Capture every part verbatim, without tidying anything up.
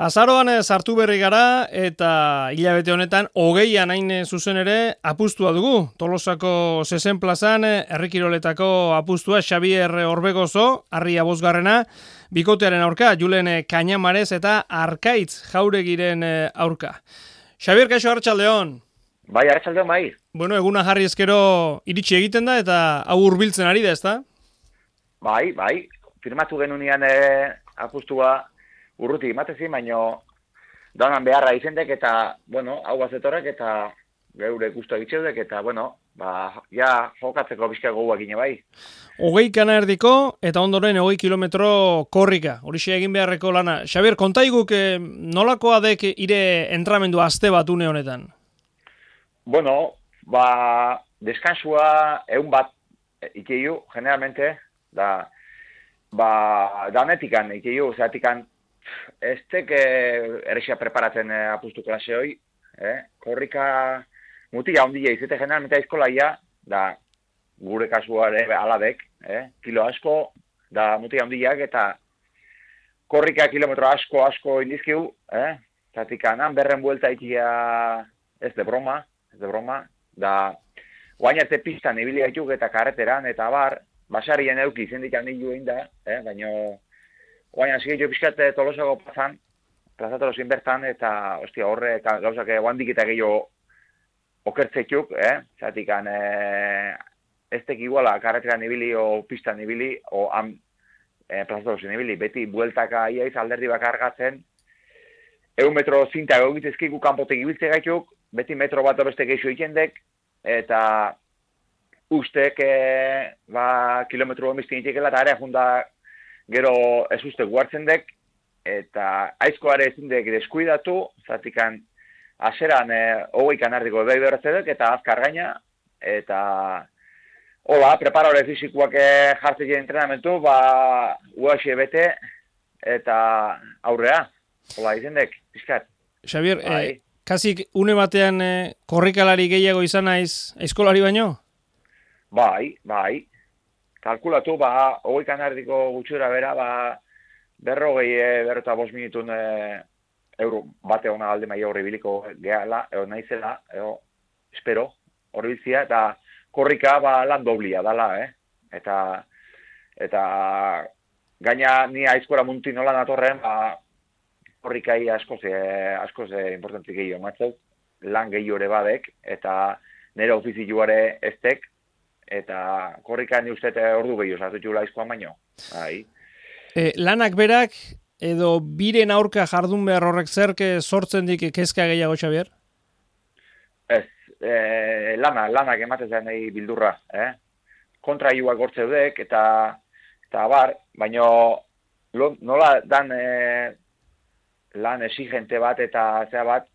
Azaroan sartu berri gara eta hilabete honetan hogeian hain zuzen ere apustua dugu. Tolosako zezen plazan herrikiroletako apustua Xabier Orbegozo, Arria bosgarrena, bikotearen aurka, Julen Kañamarez eta Arkaitz Jauregiren aurka. Xabier, kaixo, arratsaldeon. Bai, arratsaldeon bai. Bueno, eguna jarri ezkero iritsi egiten da eta hau hurbiltzen ari da, ezta? Bai, bai. Firmatu genunean eh, apustua urruti imatezi, baino danan beharra izendek eta, bueno, hau bazetorek eta geure gustu egitzeudek eta, bueno, ba, ja jokatzeko bizka gogoak gine bai. Hogei kana erdiko eta ondoren hogei kilometro korrika, horixe egin beharreko lana. Xabier, kontaiguk eh, nolakoa dek ire entramendu aste bat une honetan? Bueno, ba, deskansua egun bat ikeiu, generalmente, da, ba, danetikan ikeiu, zeratikan ez teke errexia preparatzen eh, apustu klase hoi, eh? Korrika mutila ondila izete generalmente aizkolaia, da gure kasuare aladek, eh? Kilo asko, da mutila ondilak eta korrika kilometro asko asko indizkiu, eh? Zatikan han berren buelta ikia ez de broma, ez de broma, da guainarte pistan ibili gaituk eta karreteran eta bar, basarien euki zendik handilu egin da, eh? Baino guaina hasi gehiago pixkat Tolosako plazan, plaza Tolosin bertan, eta ostia, horre gauzak guandik eta gehiago okertzeituk, eh? Zatikan eh, ez tek iguala karreteran ibili o pistan ibili, o han eh, plaza Tolosin ibili, beti bueltaka iaiz alderdi bakargatzen, egun metro zinta egitezkiku kanpotek ibiltze gaituk, beti metro bat beste gehiago ikendek, eta ustek eh, ba, kilometro omistin itekela, eta area junda gero ez uste guartzen dek, eta aizkoare ezin dek deskuidatu, zatikan aseran eh, hogei kanardiko behi berratzedek, eta azkar gaina, eta hola, preparore fizikoak eh, jartzen entrenamentu, ba, U H bete, eta aurrea, hola, izin dek, pizkat. Xabier, eh, kasik une batean eh, korrikalari gehiago izan naiz aizkolari baino? Bai, bai. Kalkulatu, ba, hogei kanardiko gutxura bera, ba, berrogei, berrota bost minutun e, euro bate hona alde maia horri biliko gehala, eo naizela, eo, espero, horri bizia, eta korrika, ba, lan doblia dala, eh? Eta, eta, gaina ni aizkora muntin nola natorren, ba, korrikai askoz, e, askoz e, importantik gehiago, matzau, lan gehiago ere badek, eta nire ofizioare eztek, eta korrika ni uste ordu gehiago sartu aizkoan baino. Bai. E, lanak berak edo biren aurka jardun behar horrek zerke sortzen dik kezka gehiago, Xabier? Ez, e, lana, lanak ematezen nahi bildurra. Eh? Kontraiuak gortzeudek eta, eta bar, baino lo, nola dan e, lan exigente bat eta zea bat,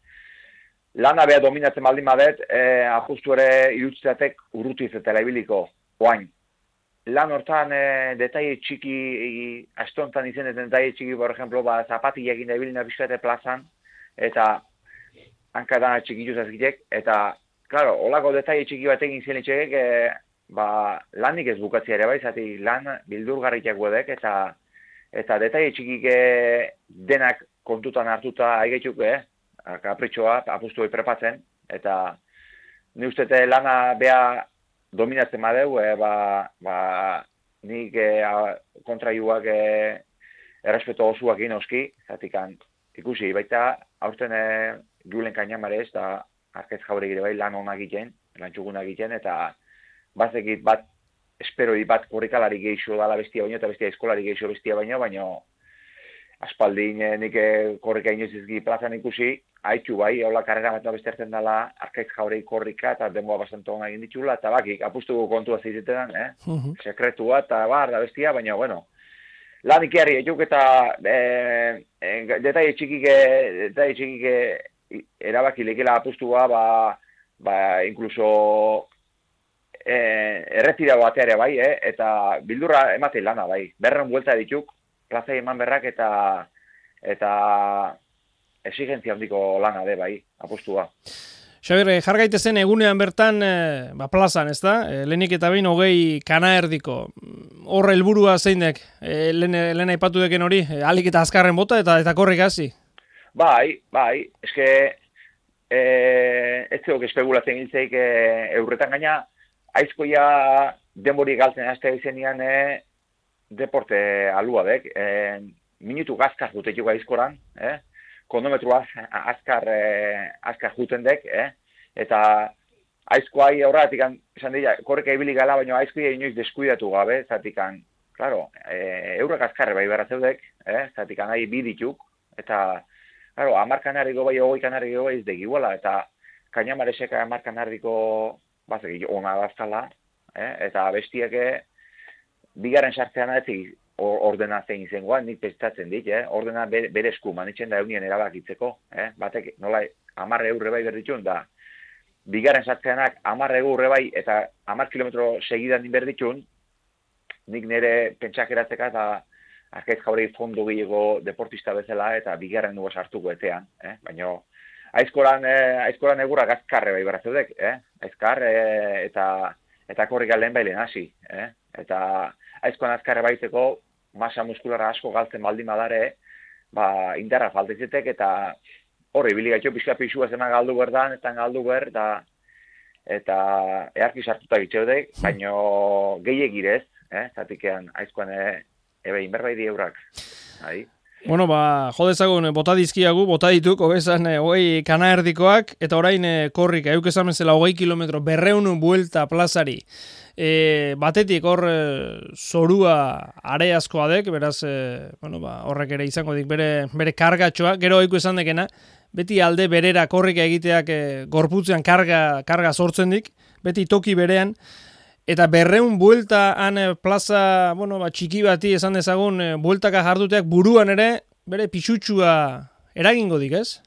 lana beha dominatzen baldin badet, eh, apustu ere irutzeatek urrutu izetela ibiliko, oain. Lan hortan eh, detaile txiki, eh, astontan izeneten detaile txiki, por ejemplo, ba, zapatila egin da ibilina bizkate plazan, eta hankadana txikituz azkitek, eta, claro, holako detaile txiki bat egin ziren itxegek, eh, ba, lanik ez bukatzea ere bai, zati lan bildurgarriak guedek, eta, eta detaile txikik eh, denak kontutan hartuta aigetuk, eh? Kapritxoa, apustu hori prepatzen, eta ni ustete lana beha dominatzen badeu, e, ba, ba, nik e, kontraiuak e, errespeto osuak inoski, zatikan ikusi, baita aurten e, Julen Kañamarez, eta Arkaitz Jauregire bai lan honak egiten, lan txugunak egiten, eta bazekit bat, esperoi bat korrikalari geixo dala bestia baino, eta bestia eskolari geixo bestia baino, baino aspaldin nik korrika inoizizki plazan ikusi, haitxu bai, hola karrera bat bestertzen dela Arkaitz Jauregi korrika eta denboa bastante hona egin ditxula, eta bakik, apustu kontua zeitetan, eh? Uh-huh. Sekretua eta bar da bestia, baina, bueno, lan ikiarri etuk eta e, e, detaile txikike, detaile txikike erabaki lekela apustua, ba, ba, inkluso e, erretira bateare bai, eh? Eta bildurra emate lana bai, berren buelta dituk, plazai eman berrak eta eta exigentzia handiko lana de bai, apustua. Xabier, jar gaitezen egunean bertan e, ba, plazan, ez da? E, lehenik eta behin hogei kana erdiko. Horre helburua zeinek, e, lehen, lehen aipatu deken hori, e, alik eta azkarren bota eta eta korrik hasi. bai, bai, eske, e, ez zeok espekulatzen giltzeik e, eurretan gaina, aizkoia denbori galtzen azte izenian e, deporte alua dek, e, minutu gazkar jutetuko aizkoran, eh? Konometru az, azkar, e, azkar juten dek, eh? Eta aizkoai horretik, esan dira, korreka ibili gala, baina aizkoia inoiz deskuidatu gabe, zatikan, claro, e, eurrak azkarre bai berra zeudek, eh? Zatikan nahi bi dituk, eta, claro, amar kanarriko bai, ogoi kanarriko bai ez degiguela, eta kainamareseka amar kanarriko bazek, ona dazkala, eh? Eta bestiake, bigarren sartzean ez ordena zein izangoa, nik pestatzen dit, eh? Ordena bere, bere esku manitzen da eunien erabakitzeko, eh? Batek, nola, amar eurre bai berditxun, da, bigarren sartzeanak amar eurre bai, eta amar kilometro segidan din berditxun, nik nire pentsakeratzeka eta arkaiz jaurei fondo gehiago deportista bezala eta bigarren dugu sartuko etean, eh? Baina aizkoran, eh, aizkoran egurrak azkarre bai berra zeudek, eh? Aizkar eh, eta eta korrika lehen bailen hasi, eh? Eta aizkoan azkarre baiteko masa muskularra asko galtzen baldin badare, ba, indarra faltezetek eta horri biligaitu pixka pixua zena galdu berdan, eta galdu ber, eta eta earki sartuta gitzeudek, baina gehiagirez, eh? Zatikean aizkoan e, ebe inberbai di eurak. Hai. Bueno, ba, jodezagun, bota dizkiagu, bota dituk, hogezan, hogei kana erdikoak, eta orain korrika, euk esan bezala hogei kilometro, berreun buelta plazari. E, batetik hor e, zorua areazkoa dek, beraz, e, bueno, ba, horrek ere izango dik bere, bere kargatxoa, gero oiku esan dekena, beti alde berera korrika egiteak e, gorputzean karga, karga sortzen dik, beti toki berean, eta berreun buelta han plaza, bueno, ba, txiki bati esan dezagun, e, bueltaka jarduteak buruan ere, bere pixutxua eragingo dik, ez?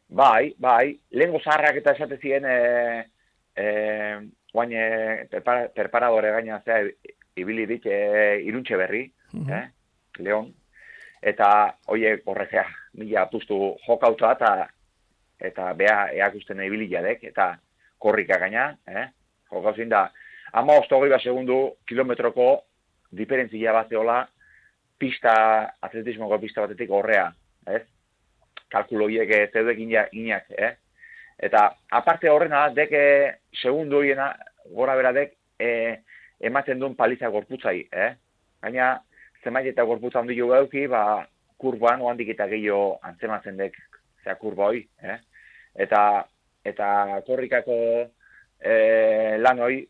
Bai, bai, lehengo zaharrak eta esate ziren, e, e, guain perpara, perparadore gaina zea ibili dit e, iruntxe berri, uh-huh. eh, Leon, eta oie horrekea, mila apustu jokauta eta eta bea eakusten ibili jadek, eta korrika gaina, eh, jokauzin da, ama ostogoi bat segundu kilometroko diferentzia bat zeola pista, atletismoko pista batetik horrea, ez? Kalkuloiek zeudek inak, eh? Eta aparte horrena, deke segundu hiena, gora beradek, e, ematen duen paliza gorputzai, eh? Gaina, zemait eta gorputza handi jo gauki, ba, kurban, oandik eta gehiago antzematzen dek, zera kurba hoi, eh? Eta, eta korrikako e, lan hoi,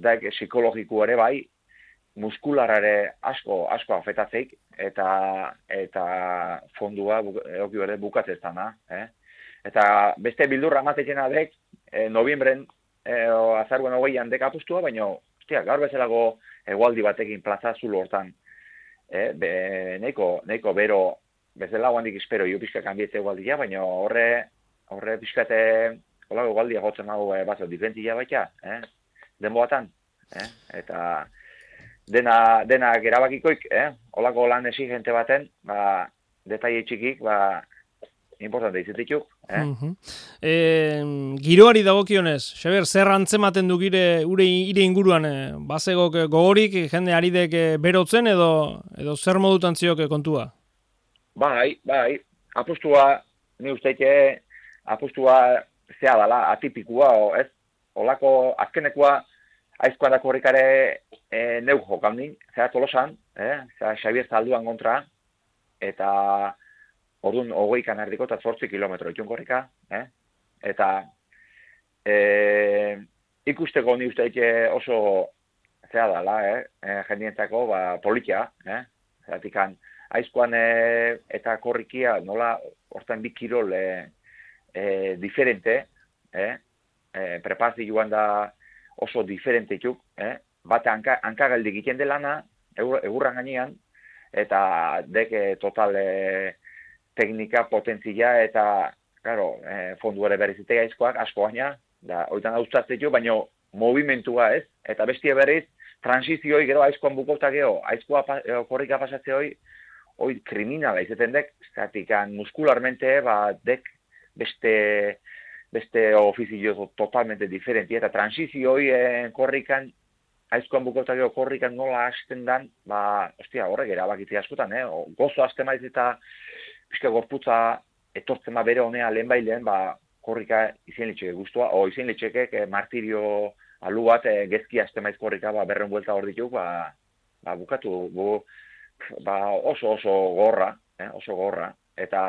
daik psikologiko ere bai, muskularare asko, asko afetatzeik, eta, eta fondua eoki berde bukatzeztana, eh? Eta beste bildurra amatetxena dek, e, noviembren, e, azaruen hogeian dek apustua, baina, ostia, gaur bezalago egualdi batekin plaza zulo hortan, e, be, neiko, neiko bero, bezala guandik espero, jo pixka kanbietze egualdia, baina horre, horre pixkate, holago egualdia gotzen hau, e, bazo, diferentzia baita, eh? Denbo batan, eh? Eta dena, dena gerabakikoik, eh? Holako lan exigente baten, ba, detaile txikik, ba, importante izatetuk, eh? Uh-huh. E, giroari dagokionez, Xabier, zer antzematen du gire ure ire inguruan, eh? Bazegok gogorik, jende aridek berotzen edo edo zer modutan zioke kontua? Bai, bai, apustua, ni usteike, apustua zea dala, atipikua, o, ez? Olako azkenekoa aizkoan da korrikare e, neu jokaldin, zera tolosan, eh? Zera Xabier Zalduan kontra, eta orduan hogei kanardiko eta zortzi kilometro itun korrika, eh? Eta e, ikusteko ni usteik oso zera dala, eh? E, jendientzako ba, politia, eh? Zeratikan aizkoan e, eta korrikia nola hortan bi kirol e, e, diferente, eh? E, prepazio joan da oso diferente itxuk, eh? Bate hanka, hankagaldi egiten delana, egurran gainean, eta deke total e, teknika, potentzia, eta, claro, e, fondu ere berrizitea aizkoak, asko gaina, da, oitan hauztatzeko, baina movimentua ez, eta bestia berriz, transizioi gero aizkoan bukauta geho, aizkoa e, korrika pasatzeoi, hoi kriminala izaten dek, zatikan muskularmente, ba, dek beste... beste ofizio totalmente diferenti, eta transizioi eh, korrikan, aizkoan bukautakeo korrikan nola hasten dan, ba, ostia, horrek erabakitzea askotan, eh? O, gozo hasten maiz eta pixka gorputza etortzen ba bere honea lehen bailen, ba, korrika izen litxeke guztua, o izen litxeke e, martirio alu bat e, gezki azte maiz korrika, ba, berren buelta hor dituk, ba, ba, bukatu, bu, ba, oso oso gorra, eh, oso gorra, eta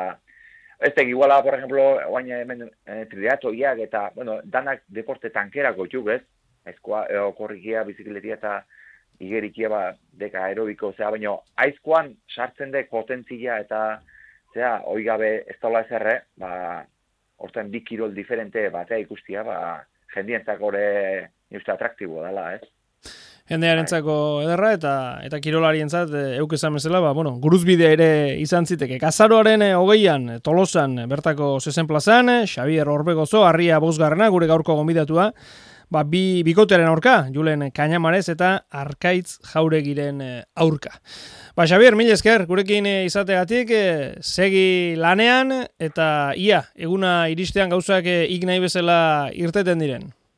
ez da iguala, por ejemplo, oain hemen e, triatoiak eta, bueno, danak deporte tankerako txuk, ez? Aizkoa, e, korrikia, bizikletia eta igerikia, ba, deka aerobiko, zera, baina aizkoan sartzen dek potentzia eta, zera, oigabe ez daula ezerre, ba, horten bi kirol diferente batea ikustia, ba, jendientzak ore uste atraktibo dela, ez? Jendearentzako ederra eta eta kirolarientzat euk esan bezala, ba, bueno, guruzbidea ere izan ziteke. Azaroaren hogeian Tolosan bertako zezen plazan, Xabier Orbegozo, Arria bosgarrena, gure gaurko gonbidatua, ba, bi bikotearen aurka, Julen Kañamarez eta Arkaitz Jauregiren aurka. Ba, Xabier, mil esker, gurekin izategatik, segi lanean eta ia, eguna iristean gauzak ik nahi bezala irteten diren.